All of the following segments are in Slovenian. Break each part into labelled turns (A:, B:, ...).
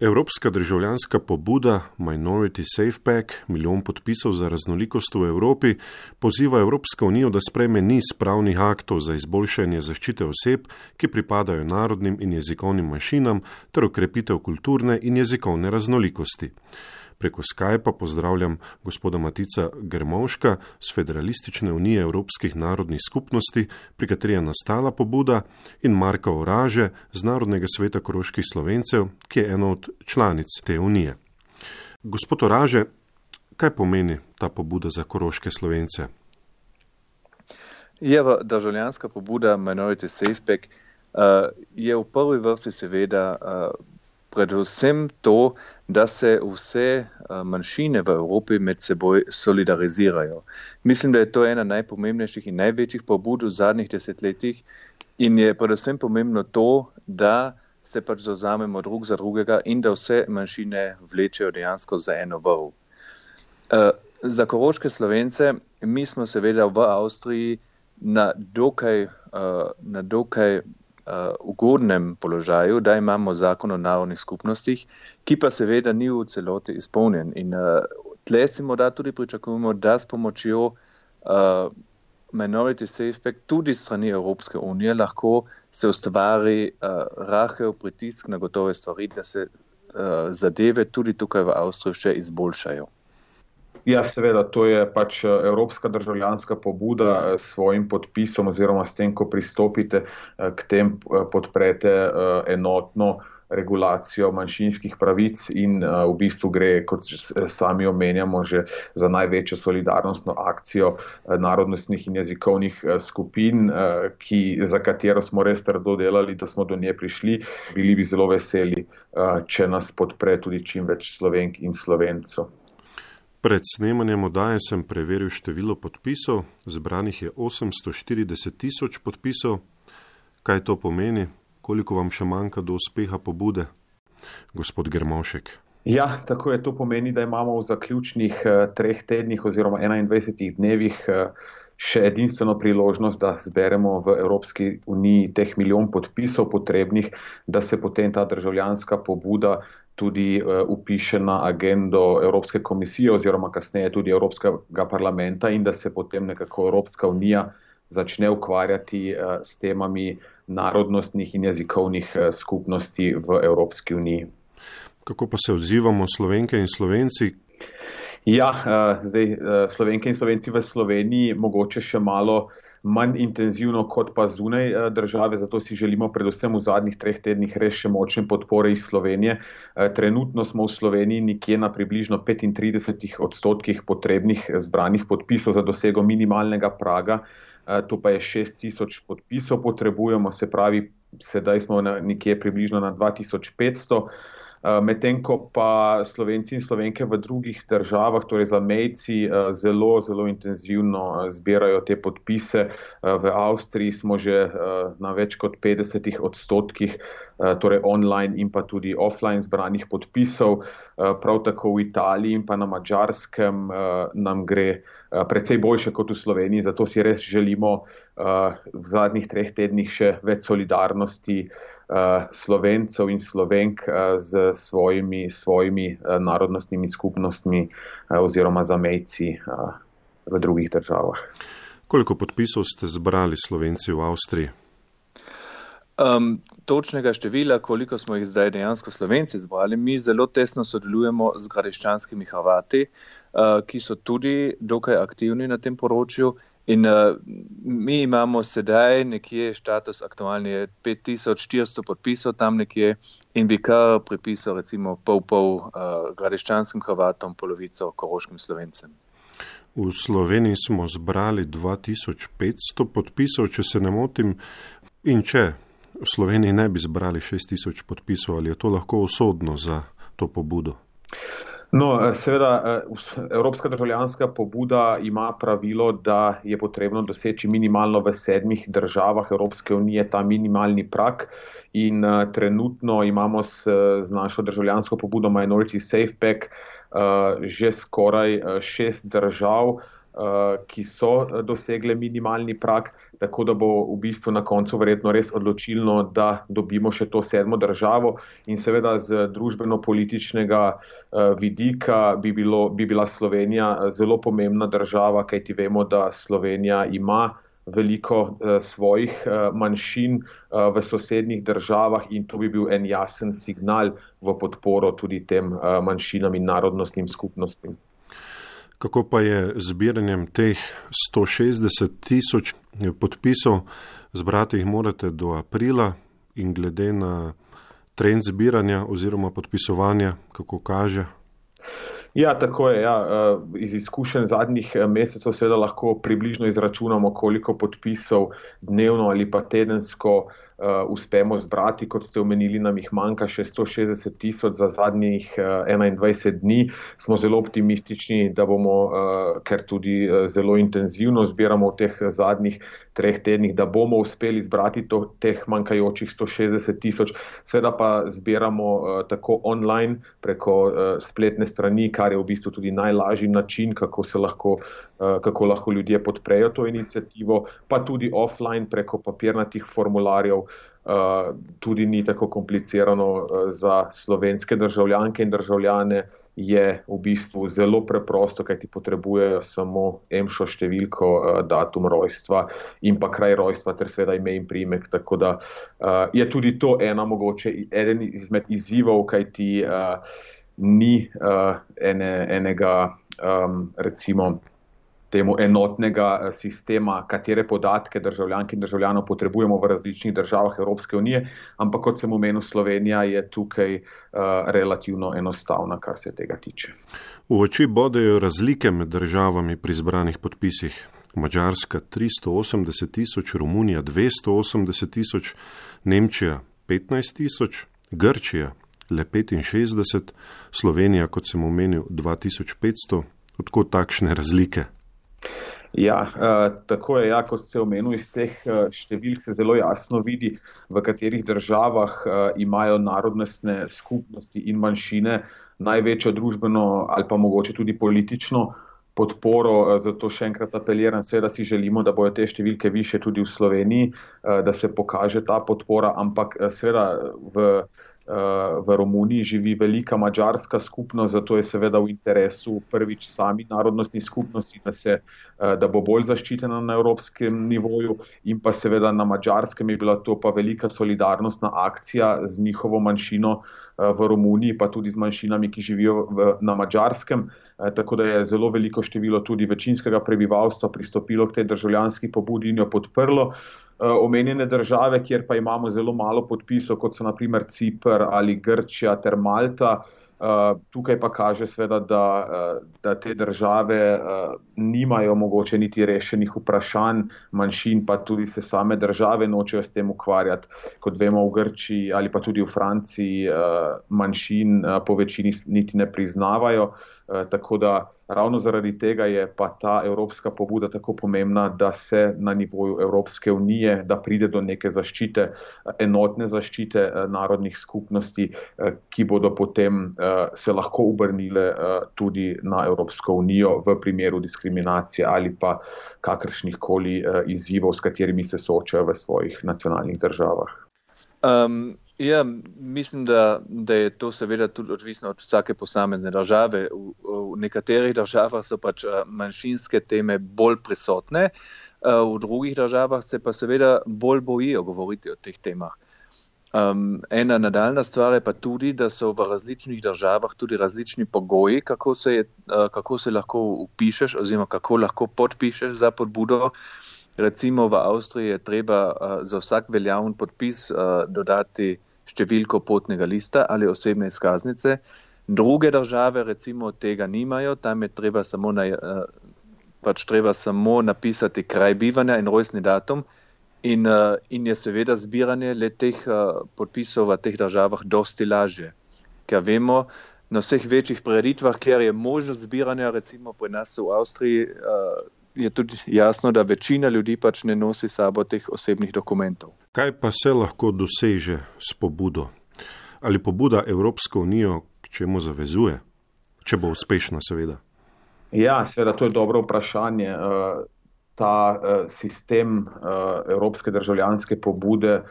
A: Evropska državljanska pobuda Minority Safe Pack, 1 milijon podpisov za raznolikost v Evropi, poziva Evropsko unijo, da sprejme niz pravnih aktov za izboljšanje zaščite oseb, ki pripadajo narodnim in jezikovnim manjšinam, ter okrepitev kulturne in jezikovne raznolikosti. Preko Skypa pozdravljam gospoda Matica Grmovška z Federalistične unije Evropskih narodnih skupnosti, pri kateri je nastala pobuda, in Marka Oraže z Narodnega sveta koroških Slovencev, ki je ena od članic te unije. Gospod Oraže, kaj pomeni ta pobuda za koroške Slovence?
B: Državljanska pobuda Minority Safe Pack je v prvi vrsti seveda predvsem to, da se vse manjšine v Evropi med seboj solidarizirajo. Mislim, da je to ena najpomembnejših in največjih pobud v zadnjih desetletjih in je predvsem pomembno to, da se pač zavzamemo drug za drugega in da vse manjšine vlečejo dejansko za eno vrv. Za koroške Slovence mi smo seveda v Avstriji na dokaj ugodnem položaju, da imamo zakon o narodnih skupnostih, ki pa seveda ni v celoti izpolnjen. In tle si morda tudi pričakujemo, da s pomočjo Minority Safe Pack tudi strani Evropske unije lahko se ustvari rahel pritisk na gotove stvari, da se zadeve tudi tukaj v Avstriji še izboljšajo.
C: Ja, seveda, to je pač evropska državljanska pobuda s svojim podpisom oziroma s tem, ko pristopite k tem, podprete enotno regulacijo manjšinskih pravic in v bistvu gre, kot sami omenjamo, že za največjo solidarnostno akcijo narodnostnih in jezikovnih skupin, za katero smo res trdo delali, da smo do nje prišli. Bili bi zelo veseli, če nas podpre tudi čim več Slovenk in Slovencev.
A: Pred snemanjem oddaje sem preveril število podpisov, zbranih je 840 tisoč podpisov. Kaj to pomeni? Koliko vam še manjka do uspeha pobude? Gospod Grmovšek.
C: Ja, tako je. To pomeni, da imamo v zaključnih 3 tednih oziroma 21 dnevih še edinstveno priložnost, da zberemo v Evropski uniji teh 1 milijon podpisov potrebnih, da se potem ta državljanska pobuda tudi upiše na agendo Evropske komisije oziroma kasneje tudi Evropskega parlamenta in da se potem nekako Evropska unija začne ukvarjati s temami narodnostnih in jezikovnih skupnosti v Evropski uniji.
A: Kako pa se odzivamo Slovenke in Slovenci?
C: Ja, Slovenke in Slovenci v Sloveniji mogoče še malo manj intenzivno kot pa zunaj države, zato si želimo predvsem v zadnjih 3 tednih res še močne podpore iz Slovenije. Trenutno smo v Sloveniji nekje na približno 35% potrebnih zbranih podpisov za dosego minimalnega praga, to pa je 6,000 podpisov potrebujemo, se pravi, sedaj smo nekje približno na 2500. Medtem ko pa Slovenci in Slovenke v drugih državah, torej zamejci, zelo, zelo intenzivno zbirajo te podpise. V Avstriji smo že na več kot 50%, torej online in pa tudi offline zbranih podpisov. Prav tako v Italiji in pa na Madžarskem nam gre precej boljše kot v Sloveniji, zato si res želimo v zadnjih 3 tednih še več solidarnosti Slovencev in Slovenk z svojimi narodnostnimi skupnostmi oziroma zamejci v drugih državah.
A: Koliko podpisov ste zbrali Slovenci v Avstriji?
B: Točnega števila, koliko smo jih zdaj dejansko Slovenci zbrali, mi zelo tesno sodelujemo z gradiščanskimi Hrvati, ki so tudi dokaj aktivni na tem področju. In mi imamo sedaj nekje status aktualni je 5400 podpisov tam nekje in bi kar pripisal recimo pol gradiščanskim Hrvatom, polovico koroškim Slovencem.
A: V Sloveniji smo zbrali 2500 podpisov, če se ne motim, in če v Sloveniji ne bi zbrali 6000 podpisov, ali je to lahko usodno za to pobudo?
C: No, seveda, Evropska državljanska pobuda ima pravilo, da je potrebno doseči minimalno v 7 državah Evropske unije ta minimalni prag in trenutno imamo z našo državljansko pobudo Minority Safe Pack že skoraj 6 držav, ki so dosegle minimalni prag, tako da bo v bistvu na koncu verjetno res odločilno, da dobimo še to 7. državo in seveda z družbeno-političnega vidika bi bila Slovenija zelo pomembna država, kajti vemo, da Slovenija ima veliko svojih manjšin v sosednjih državah in to bi bil en jasen signal v podporo tudi tem manjšinam in narodnostnim skupnostim.
A: Kako pa je zbiranjem teh 160 000 podpisov? Zbrati jih morate do aprila in glede na trend zbiranja oziroma podpisovanja, kako kaže?
C: Ja, tako je. Ja. Iz izkušenj zadnjih mesecev seveda lahko približno izračunamo, koliko podpisov dnevno ali pa tedensko uspemo zbrati. Kot ste omenili, nam jih manjka še 160 000 za zadnjih 21 dni. Smo zelo optimistični, da bomo, ker tudi zelo intenzivno zbiramo v teh zadnjih 3 tednih, da bomo uspeli zbrati teh manjkajočih 160 000. Seveda pa zbiramo tako online preko spletne strani, kar je v bistvu tudi najlažji način, kako lahko ljudje podprejo to inicijativo, pa tudi offline preko papirnatih formularjev. Tudi ni tako komplicirano za slovenske državljanke in državljane, je v bistvu zelo preprosto, kajti potrebujejo samo EMŠO številko, datum rojstva in pa kraj rojstva ter seveda ime in priimek. Tako da je tudi to eden izmed izzivov, kajti ni enega recimo temu enotnega sistema, katere podatke državljank in državljanov potrebujemo v različnih državah Evropske unije, ampak kot sem omenil, Slovenija je tukaj relativno enostavna, kar se tega tiče.
A: V oči bodejo razlike med državami pri zbranih podpisih. Madžarska 380 000, Romunija 280 000, Nemčija 15 000, Grčija le 65, Slovenija, kot sem omenil, 2500. Odkot takšne razlike?
C: Ja, tako je, kot ste omenili, iz teh številk se zelo jasno vidi, v katerih državah imajo narodnostne skupnosti in manjšine največjo družbeno ali pa mogoče tudi politično podporo. Zato še enkrat apeliram, seveda si želimo, da bojo te številke više tudi v Sloveniji, da se pokaže ta podpora, ampak seveda v Romuniji živi velika madžarska skupnost, zato je seveda v interesu prvič sami narodnostni skupnosti, da bo bolj zaščitena na evropskem nivoju in pa seveda na Madžarskem je bila to pa velika solidarnostna akcija z njihovo manjšino v Romuniji, pa tudi z manjšinami, ki živijo na Madžarskem. Tako da je zelo veliko število tudi večinskega prebivalstva pristopilo k tej državljanski pobudi in jo podprlo. Omenjene države, kjer pa imamo zelo malo podpisov, kot so na primer Cipr ali Grčija ter Malta, tukaj pa kaže sveda, da te države nimajo mogoče niti rešenih vprašanj manjšin, pa tudi se same države nočejo s tem ukvarjati. Kot vemo, v Grčiji ali pa tudi v Franciji manjšin po večini niti ne priznavajo. Tako da ravno zaradi tega je pa ta evropska pobuda tako pomembna, da se na nivoju Evropske unije, da pride do neke zaščite, enotne zaščite narodnih skupnosti, ki bodo potem se lahko obrnile tudi na Evropsko unijo v primeru diskriminacije ali pa kakršnih koli izzivov, s katerimi se soočajo v svojih nacionalnih državah.
B: Ja, mislim, da je to seveda tudi odvisno od vsake posamezne države. V nekaterih državah so pač manjšinske teme bolj prisotne, v drugih državah se pa seveda bolj bojijo govoriti o teh temah. Ena nadaljna stvar je pa tudi, da so v različnih državah tudi različni pogoji, kako se lahko vpišeš oziroma kako lahko podpišeš za pobudo. Recimo v Avstriji je treba za vsak veljaven podpis dodati številko potnega lista ali osebne izkaznice. Druge države recimo tega nimajo, tam je treba samo napisati kraj bivanja in rojstni datum in je seveda zbiranje le teh podpisov v teh državah dosti lažje. Ker vemo, na vseh večjih prireditvah, kjer je možnost zbiranja, recimo pri nas v Avstriji, je tudi jasno, da večina ljudi pač ne nosi sabo teh osebnih dokumentov.
A: Kaj pa se lahko doseže s pobudo? Ali pobuda Evropsko unijo k čemu zavezuje? Če bo uspešna, seveda.
C: Ja, seveda, to je dobro vprašanje. Ta sistem evropske državljanske pobude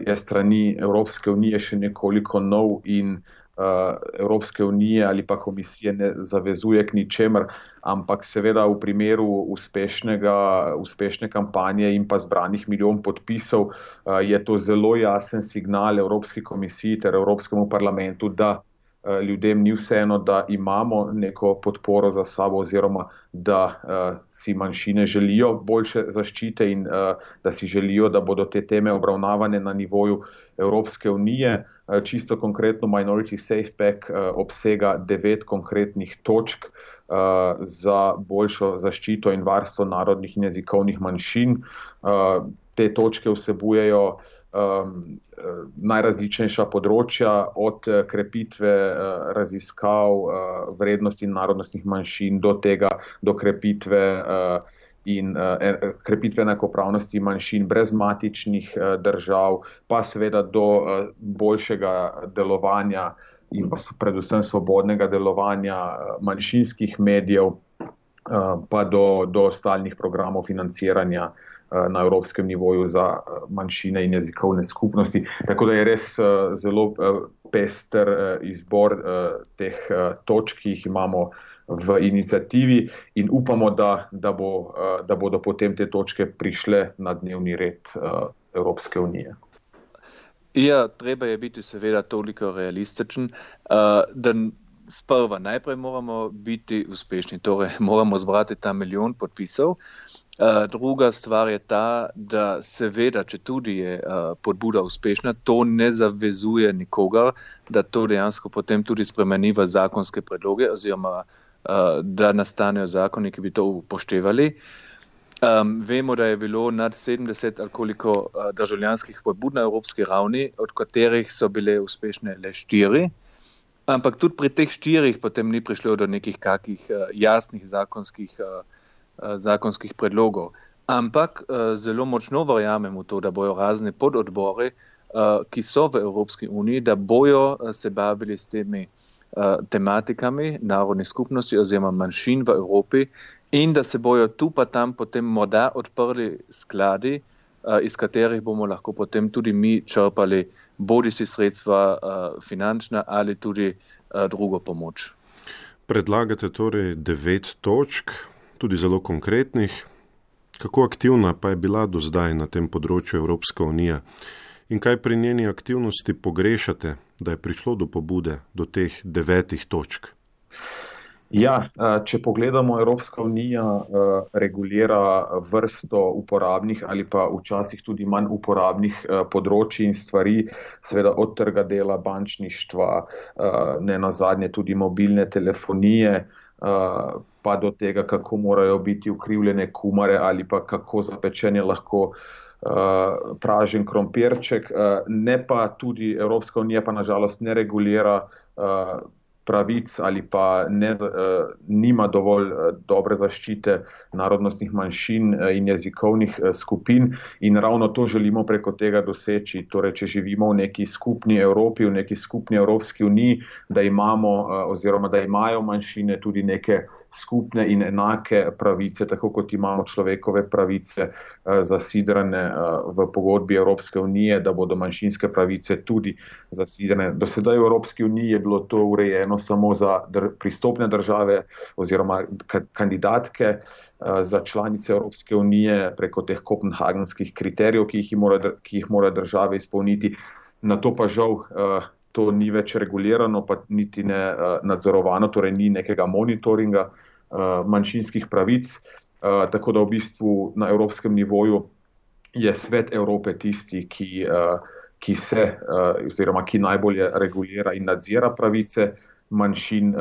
C: je strani Evropske unije še nekoliko nov in Evropske unije ali pa komisije ne zavezuje k ničemer, ampak seveda v primeru uspešne kampanje in pa zbranih milijon podpisov je to zelo jasen signal Evropski komisiji ter Evropskemu parlamentu, da ljudem ni vseeno, da imamo neko podporo za sabo oziroma da si manjšine želijo boljše zaščite in da si želijo, da bodo te teme obravnavane na nivoju Evropske unije. Čisto konkretno Minority Safe Pack obsega 9 konkretnih točk za boljšo zaščito in varstvo narodnih in jezikovnih manjšin. Te točke vsebujejo najrazličnejša področja od krepitve raziskav vrednosti narodnostnih manjšin do krepitve enakopravnosti manjšin brez matičnih držav, pa seveda do boljšega delovanja in pa predvsem svobodnega delovanja manjšinskih medijev, pa do stalnih programov financiranja na evropskem nivoju za manjšine in jezikovne skupnosti. Tako da je res zelo pester izbor teh točk, ki jih imamo v iniciativi in upamo, da bodo potem te točke prišle na dnevni red Evropske unije.
B: Ja, treba je biti seveda toliko realističen, da sprva najprej moramo biti uspešni, torej moramo zbrati ta milijon podpisov. Druga stvar je ta, da seveda, če tudi je pobuda uspešna, to ne zavezuje nikogar, da to dejansko potem tudi spremeni v zakonske predloge oziroma da nastanejo zakoni, ki bi to upoštevali. Vemo, da je bilo nad 70 ali koliko državljanskih pobud na evropski ravni, od katerih so bile uspešne le 4. Ampak tudi pri teh 4 potem ni prišlo do nekih kakih jasnih zakonskih predlogov. Ampak zelo močno verjamem v to, da bojo razni pododbori, ki so v Evropski uniji, da bojo se bavili s temi tematikami narodnih skupnosti oziroma manjšin v Evropi in da se bojo tu pa tam potem morda odprli skladi, iz katerih bomo lahko potem tudi mi črpali bodisi sredstva finančna ali tudi drugo pomoč.
A: Predlagate torej 9 točk, tudi zelo konkretnih. Kako aktivna pa je bila do zdaj na tem področju Evropska unija in kaj pri njeni aktivnosti pogrešate, da je prišlo do pobude, do teh 9 točk?
C: Ja, če pogledamo, Evropska unija regulira vrsto uporabnih ali pa včasih tudi manj uporabnih področij in stvari, seveda od trga dela, bančništva, ne nazadnje tudi mobilne telefonije, pa do tega, kako morajo biti ukrivljene kumare ali pa kako zapečen je lahko pražen krompirček. Ne pa tudi Evropska unija pa nažalost ne regulira pravic ali pa nima dovolj dobre zaščite narodnostnih manjšin in jezikovnih skupin in ravno to želimo preko tega doseči. Torej, če živimo v neki skupni Evropi, v neki skupni Evropski uniji, da imamo oziroma da imajo manjšine tudi neke skupne in enake pravice, tako kot imamo človekove pravice zasidrane v pogodbi Evropske unije, da bodo manjšinske pravice tudi zasidrane. Do sedaj v Evropski uniji je bilo to urejeno samo za pristopne države oziroma kandidatke za članice Evropske unije preko teh kopenhagenskih kriterijev, ki jih mora države izpolniti. Na to pa žal to ni več regulirano, pa niti ne nadzorovano, torej ni nekega monitoringa manjšinskih pravic, tako da v bistvu na evropskem nivoju je Svet Evrope tisti, ki se oziroma ki najbolje regulira in nadzira pravice manjšin,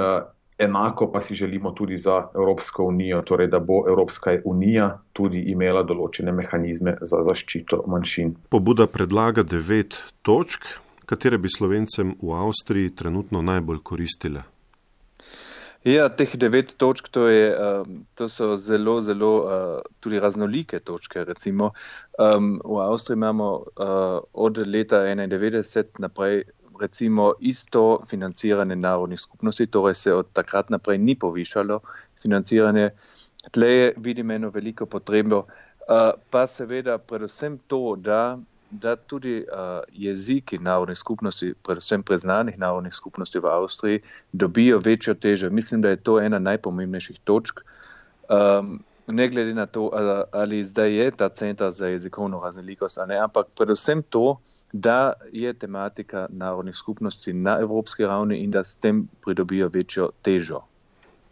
C: enako pa si želimo tudi za Evropsko unijo, torej da bo Evropska unija tudi imela določene mehanizme za zaščito manjšin.
A: Pobuda predlaga 9 točk, katere bi Slovencem v Avstriji trenutno najbolj koristile.
B: Ja, teh 9 točk, to so zelo, zelo tudi raznolike točke. Recimo, v Avstriji imamo od leta 1991 naprej recimo isto financiranje narodnih skupnosti, torej se od takrat naprej ni povišalo financiranje. Tle vidim eno veliko potrebo, pa seveda predvsem to, da tudi jeziki narodnih skupnosti, predvsem preznanih narodnih skupnosti v Avstriji, dobijo večjo težo. Mislim, da je to ena najpomembnejših točk. Ne glede na to, ali zdaj je ta centar za jezikovno raznolikost, ali ne, ampak predvsem to, da je tematika narodnih skupnosti na evropski ravni in da s tem pridobijo večjo težo.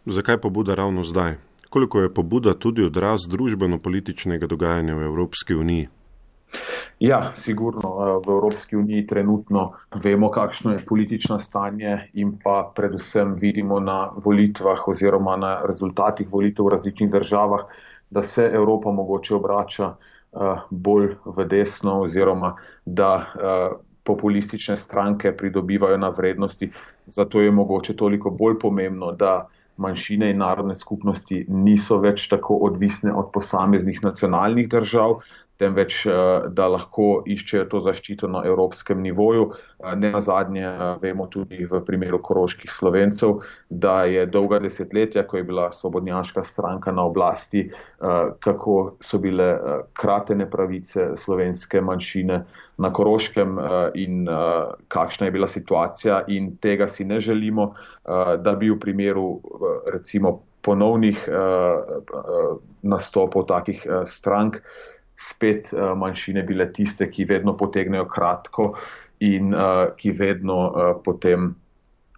A: Zakaj pobuda ravno zdaj? Koliko je pobuda tudi odraz družbeno-političnega dogajanja v Evropski uniji?
C: Ja, sigurno. V Evropski uniji trenutno vemo, kakšno je politično stanje in pa predvsem vidimo na volitvah oziroma na rezultatih volitev v različnih državah, da se Evropa mogoče obrača bolj v desno oziroma da populistične stranke pridobivajo na vrednosti. Zato je mogoče toliko bolj pomembno, da manjšine in narodne skupnosti niso več tako odvisne od posameznih nacionalnih držav, temveč da lahko iščejo to zaščito na evropskem nivoju. Nenazadnje vemo tudi v primeru koroških Slovencev, da je dolga desetletja, ko je bila svobodnjaška stranka na oblasti, kako so bile kratene pravice slovenske manjšine na Koroškem in kakšna je bila situacija, in tega si ne želimo, da bi v primeru recimo ponovnih nastopov takih strank spet manjšine bile tiste, ki vedno potegnejo kratko in ki vedno potem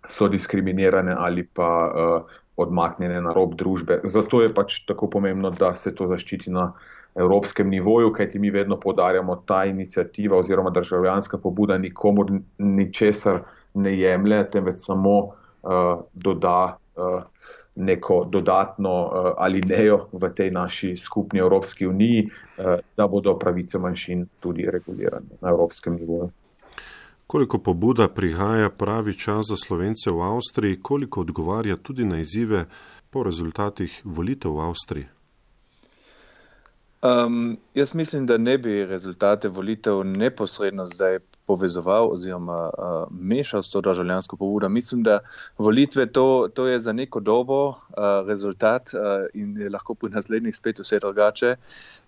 C: so diskriminirane ali pa odmaknjene na rob družbe. Zato je pač tako pomembno, da se to zaščiti na evropskem nivoju, kajti mi vedno poudarjamo, ta iniciativa oziroma državljanska pobuda nikomur ničesar ne jemlje, temveč samo doda neko dodatno alinejo v tej naši skupni Evropski uniji, da bodo pravice manjšin tudi regulirane na evropskem nivoju.
A: Koliko pobuda prihaja pravi čas za Slovence v Avstriji, koliko odgovarja tudi na izzive po rezultatih volitev v Avstriji?
B: Jaz mislim, da ne bi rezultate volitev neposredno zdaj povezoval oziroma mešal s to državljansko pobudo. Mislim, da volitve to je za neko dobo rezultat in je lahko pri naslednjih spet vse drugače.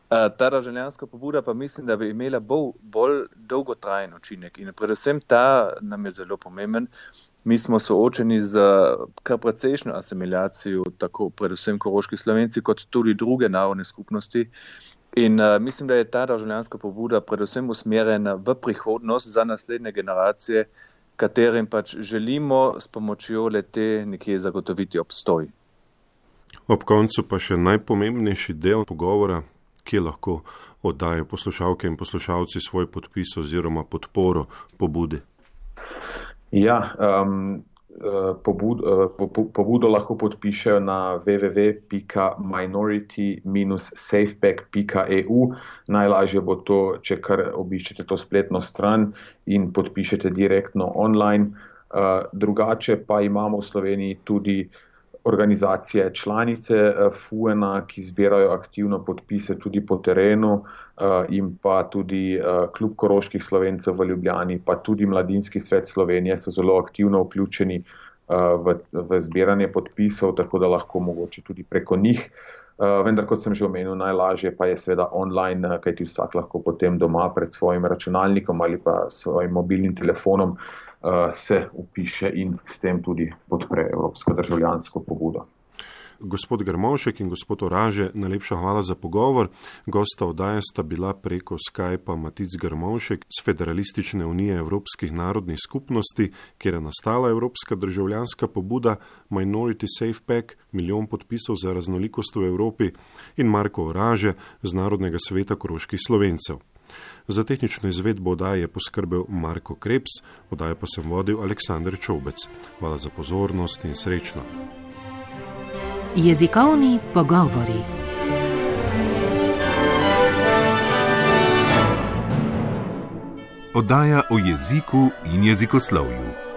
B: Ta državljanska pobuda pa mislim, da bi imela bolj dolgotrajen učinek in predvsem ta nam je zelo pomemben. Mi smo soočeni z kar precejšnjo asimilacijo, tako predvsem koroški Slovenci, kot tudi druge narodne skupnosti. In mislim, da je ta državljanska pobuda predvsem usmerjena v prihodnost za naslednje generacije, katerim pač želimo s pomočjo le-te nekje zagotoviti obstoj.
A: Ob koncu pa še najpomembnejši del pogovora, kje lahko oddajo poslušalke in poslušalci svoj podpis oziroma podporo pobudi.
C: Ja, pobudo lahko podpišejo na www.minority-safepack.eu. Najlažje bo to, če kar obiščete to spletno stran in podpišete direktno online. Drugače pa imamo v Sloveniji tudi organizacije članice FUEN-a, ki zbirajo aktivno podpise tudi po terenu, in pa tudi Klub koroških Slovencev v Ljubljani, pa tudi Mladinski svet Slovenije so zelo aktivno vključeni v zbiranje podpisov, tako da lahko mogoče tudi preko njih. Vendar, kot sem že omenil, najlažje pa je seveda online, kajti vsak lahko potem doma pred svojim računalnikom ali pa svojim mobilnim telefonom se upiše in s tem tudi podpre evropsko državljansko pobudo.
A: Gospod Grmovšek in gospod Oraže, najlepša hvala za pogovor. Gosta oddaje sta bila preko Skypa Matic Grmovšek z Federalistične unije evropskih narodnih skupnosti, kjer je nastala evropska državljanska pobuda Minority Safe Pack, 1 milijon podpisov za raznolikost v Evropi, in Marko Oraže z Narodnega sveta koroških Slovencev. Za tehnično izvedbo oddaje je poskrbel Marko Krebs, oddajo pa sem vodil Aleksander Čobec. Hvala za pozornost in srečno.
D: Jezikovni pogovori.
E: Oddaja o jeziku in jezikoslovju.